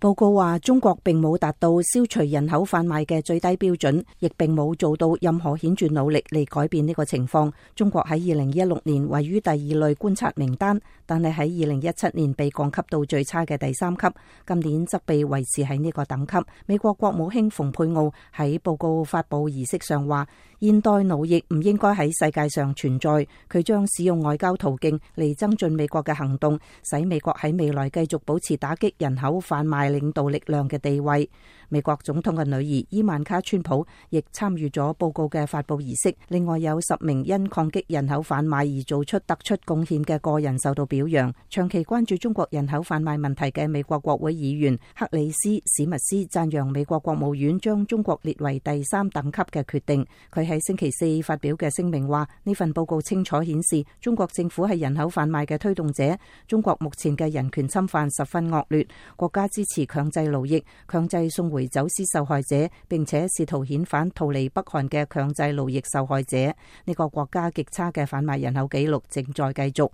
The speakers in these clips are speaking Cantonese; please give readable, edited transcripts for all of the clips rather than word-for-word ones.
報告話，中國並冇達到消除人口販賣嘅最低標準，亦並冇做到任何顯著努力嚟改變呢個情況。中國喺2016年位於第2類觀察名單，但係喺2017年被降級到最差嘅第3級，今年則被維持喺呢個等級。美國國務卿蓬佩奧喺報告發佈儀式上話，現代奴役唔應該喺世界上存在，佢將使用外交途徑嚟增進美國嘅行動，使美國喺未來繼續保持打擊人口販賣領導力量嘅地位。美國總統嘅女兒伊萬卡川普亦參與咗報告嘅發佈儀式。另外有10名因抗擊人口販賣而做出突出貢獻嘅個人受到表揚。長期關注中國人口販賣問題嘅美國國會議員克里斯史密斯讚揚美國國務院將中國列為第3等級嘅決定。佢喺星期4發表嘅聲明話，呢份報告清楚顯示中國政府係人口販賣嘅推動者。中國目前嘅人權侵犯十分惡劣，國家支持強制勞役、強制送回走私受害者，並且試圖遣返逃離北韓嘅強制勞役受害者。呢個國家極差嘅販賣人口紀錄正在繼續。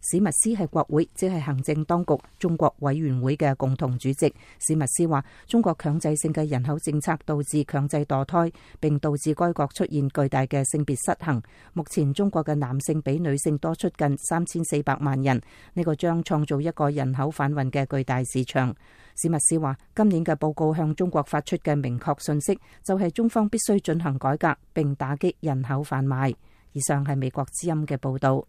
史密斯係國會，即係行政當局中國委員會嘅共同主席。史密斯話，中國強制性嘅人口政策導致強制墮胎，並導致該國出現巨大嘅性別失衡。目前中國嘅男性比女性多出近3400萬人，呢個將創造一個人口販運嘅巨大市場。史密斯話，今年嘅報告向中國發出嘅明確信息，就係中方必須進行改革，並打擊人口販賣。以上係美國之音嘅報道。